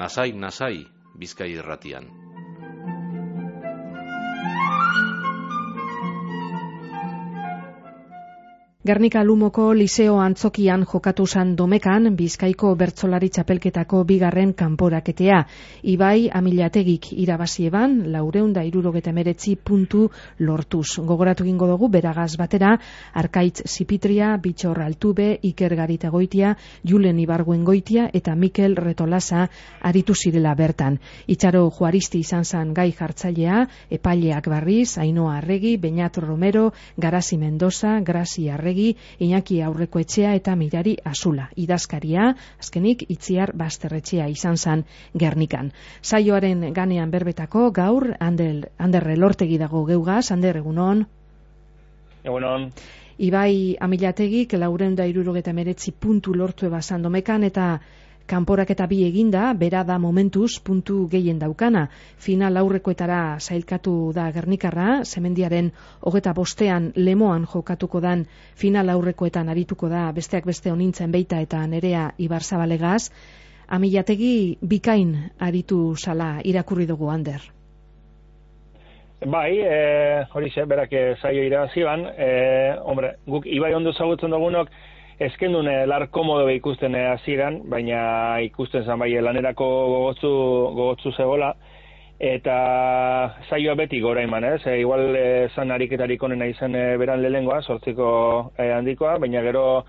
Nasai, Bizkai Irratian. Gernika Lumoko Liseo Antzokian jokatu zan Domekan Bizkaiko bertsolari txapelketako bigarren kanporaketea. Ibai Amilategik irabazieban 479 puntu lortuz. Gogoratu egingo dugu beragaz batera Arkaitz Zipitria, Bitxor Altube, Iker Garitagoitia, Julen Ibarguengoitia eta Mikel Retolasa aritu zirela bertan. Itxaro Juaristi izan zan gai jartzailea, epaileak barriz, Ainoa Arregi, Beñat Romero, Garasi Mendoza, Grasi Arregi, Iñaki Aurrekoetxea eta Mirari Azula. Idazkaria, azkenik Itziar Basterretxea izan zan Gernikan. Saioaren ganean berbetako gaur, Ander Elortegi dago geugaz. Ander, egunon? Egunon. Ibai Amilategik 479 puntu lortu ebazan Domekan eta kanporaketa bi eginda, bera da momentuz puntu gehien daukana. Final aurrekoetara sailkatu da Gernikarra, Semendiaren 25ean Lemoan jokatuko dan final aurrekoetan arituko da besteak beste Onintzen Beita eta Nerea Ibarzabalegaz. Amilategi bikain aritu zala irakurri dugu, Ander. Bai, horixe, berak saio irabazi ban. Hombre, guk Ibai ondo zagutzen dugunok, ezkendun lar komodo ikusten hasieran, baina ikusten zan bai lanerako gogotzu zegoela, eta saioa beti gora eman, igual zan ariketarik onena izan beran lehengoa, 8 handikoa, baina gero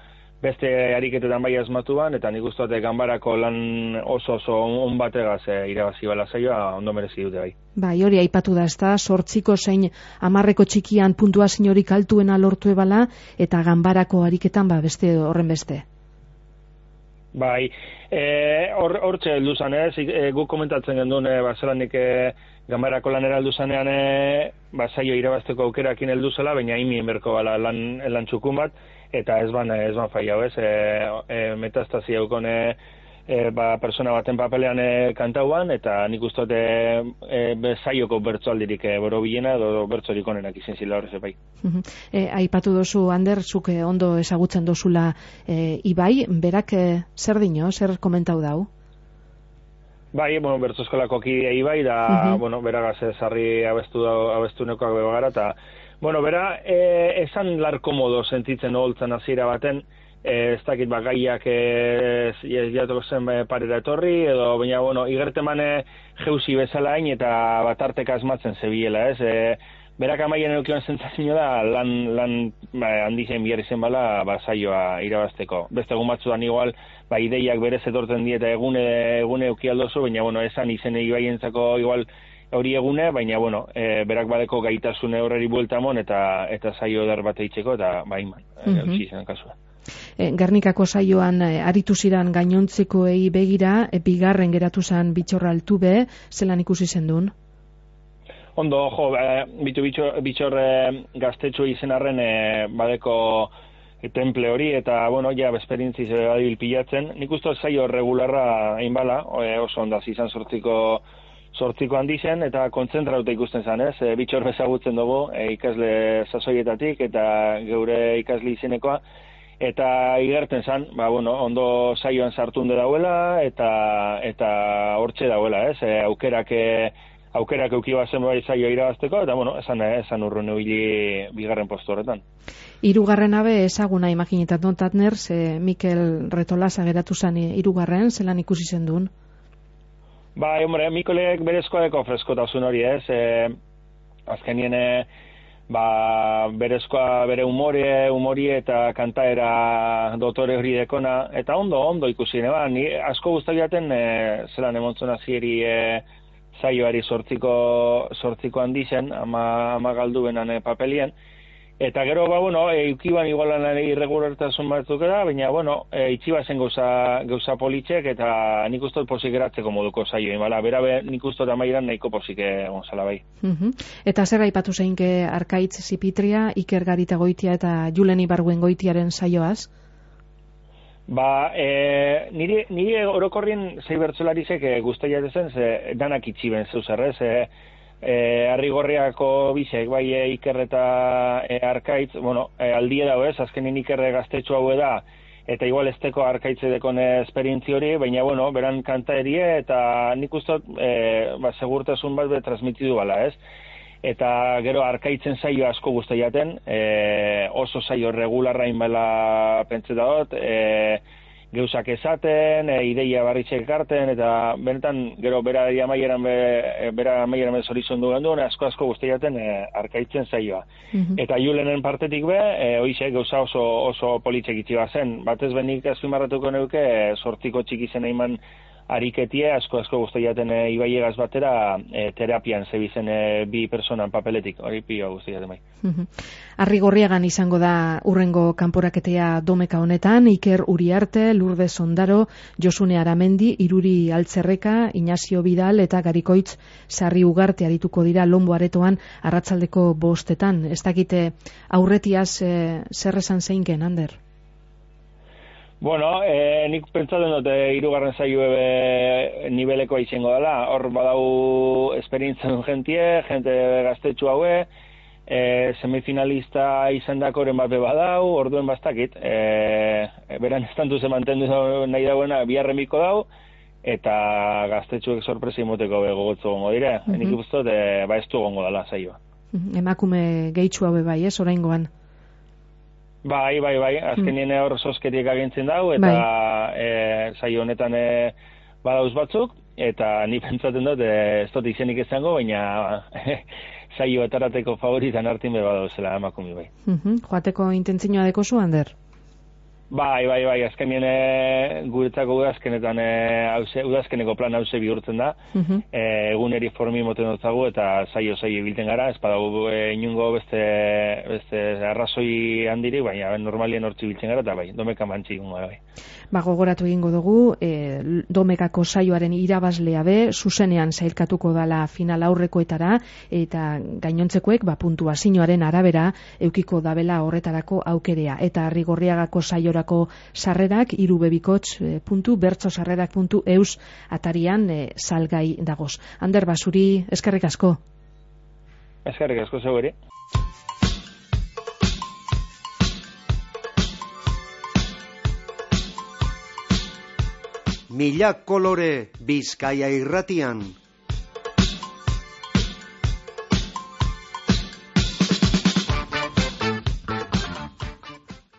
beste ariketetan bai asmatu ban, eta nik uste ganbarako lan oso on bategaz irabazi bala saioa, ondo merezi dute bai. Bai, hori aipatu da, ezta, 8 zein 10 txikian puntuazio horik altuena lortu ebala, eta ganbarako ariketan beste horren beste. Bai, hortxe heldu zan, guk komentatzen genduen, zelanik ganbarako lanera heldu zanean, saio irabazteko aukerakin heldu zela, baina imien berko bala lan txukun bat, eta ez ban faiau, metastazia eukone persona baten papelean kantauan, eta nik uste saioko bertsoaldirik borobilena edo bertsorik onenak izan zila horrez epai. Aipatu dozu, Ander, zuk ondo ezagutzen dozula Ibai, berak zer dino, zer komentau dau? Bai, bertsoskolako kidea Ibai, da, beragaz sarri abestu nekoak bebagara, eta bera, esan lar komodo sentitzen holtzan hasiera baten, ez dakit gaiak jatuko zen parera etorri, edo, baina, igerteman jeusi bezala hain eta batarteka asmatzen zebiela, berak amaien eukion zentzazio da, lan handizen bihar izen bala, saioa irabazteko. Beste egun batzuan igual, ideiak berez etortzen dieta egune eukialdozu, baina, esan izen Ibaientzako igual, hori egune, baina, berak badeko gaitasune horreri buelta mon, eta saio eder bat eitzeko, eta iman, eutsi zen kasua. Gernikako saioan aritu ziran gainontzekoei begira, bigarren geratu zen Bitxor Altube, zelan ikusi zendun? Ondo, Bitxor gaztetxo izen arren badeko temple hori, eta, ja, esperientziz badibil pilatzen. Nik uste saio regularra einbala, oso ondaz izan sortziko handi zen, eta kontzentrauta ikusten zen, Bitxor bezagutzen dugu, ikasle sasoietatik, eta geure ikasle izenekoa, eta igerten zen, ondo saioan sartunde dauela, eta hortxe dauela, aukerak eukiba zen bai saioa irabazteko, eta, esan urrun ebili bigarren postu horretan. Hirugarren abe ezaguna imaginetat Tatner, Mikel Retolasa geratu zen hirugarren, zelan ikusi zendun? Bai, Mikolek berezkoa deko freskotasun hori, azkenien berezkoa bere humori eta kantaera dotore hori dekona, eta ondo ikusi, ni asko guztabiaten zelan emontzun azieri saioari sortziko handi zen, ama galdu benan papelien, eta gero, eukiban igualan irregulartasun batzuk da, baina, itxiba zen gauza politxek, eta nik uste posik geratzeko moduko saioin, bera nik uste amairan nahiko posik gonzala bai. Eta zer aipatu zeinke Arkaitz Zipitria, Iker Garitagoitia eta Julen Ibarguengoitiaren saioaz? Nire orokorrien zei bertzolarizek guztia zen, danak itxiben zeuzerrez, Arrigorriako bizek, Iker eta Arkaitz, aldie dago azkenin Ikerre gaztetxo hau da, eta igual esteko arkaitze dekon esperientzi hori, baina, bueno, beran kanta erie, eta nik ustot, segurtasun bat transmitidu bala, ez? Eta gero arkaitzen saio asko guzti jaten, oso saio regularrain bela pentseta dut, geuzak esaten, ideia barritxek ekarten, eta benetan, gero bera amaieran zorizon duen asko guzti jaten arkaitzen saioa. Eta Julenen partetik hoize gauza oso politxek itxiba zen. Batez benik azpimarratuko neuke, sortiko txiki zen eiman ariketie, asko guzti jaten ibaiegaz batera terapian zebizen bi personan papeletik, hori pio guzti jaten bai. Arrigorriagan izango da urrengo kanporaketea Domeka honetan, Iker Uriarte, Lourdes Ondaro, Josune Aramendi, Iruri Altzerreka, Ignacio Vidal eta Garikoitz Sarri Ugarte arituko dira Lombo Aretoan arratsaldeko 5:00. Ez dakite aurretiaz zer esan zeinken, Ander? Bueno, nik pentsatzen dut hirugarren saioe nibelekoa izango dela. Hor badau esperientzia jente gaztetxu haue, semifinalista izan dakoren bat badau, orduen bastakit. Beran estantu ze mantendu nahi dauena biharremiko dau, eta gaztetxuek sorpresa imoteko gogotzo gongo dire. Nik ipuztot, ez du gongo dela saioa. Emakume gehitxu haue bai, ez, oraingoan? Bai, azkenien hor sosketiek agintzen dau, eta saio honetan badauz batzuk, eta ni pentsatzen dut, ez dut izenik izango, baina saio etarateko favoritan hartin badauzela emakumi bai. Joateko intentzioa dekozu, Ander? Bai, azkenien guretzako udazkeneko plan hause bihurtzen da, eguneri formi moten dutzagu eta saio bilten gara, ez badago inungo beste arrazoi handiri, baina normalien hortzi biltzen gara, eta bai, Domeka mantzi gungo bai. Gogoratu egingo dugu, Domekako saioaren irabazlea be, zuzenean sailkatuko dala final aurrekoetara, eta gainontzekoek, puntuazioaren arabera, eukiko dabela horretarako aukerea, eta Arrigorriagako saiorako sarrerak, irubebikots.bertsosarrerak.eus atarian salgai dagoz. Ander Basuri, eskerrik asko. Eskerrik asko zegoeri. Mila kolore Bizkaia irratian.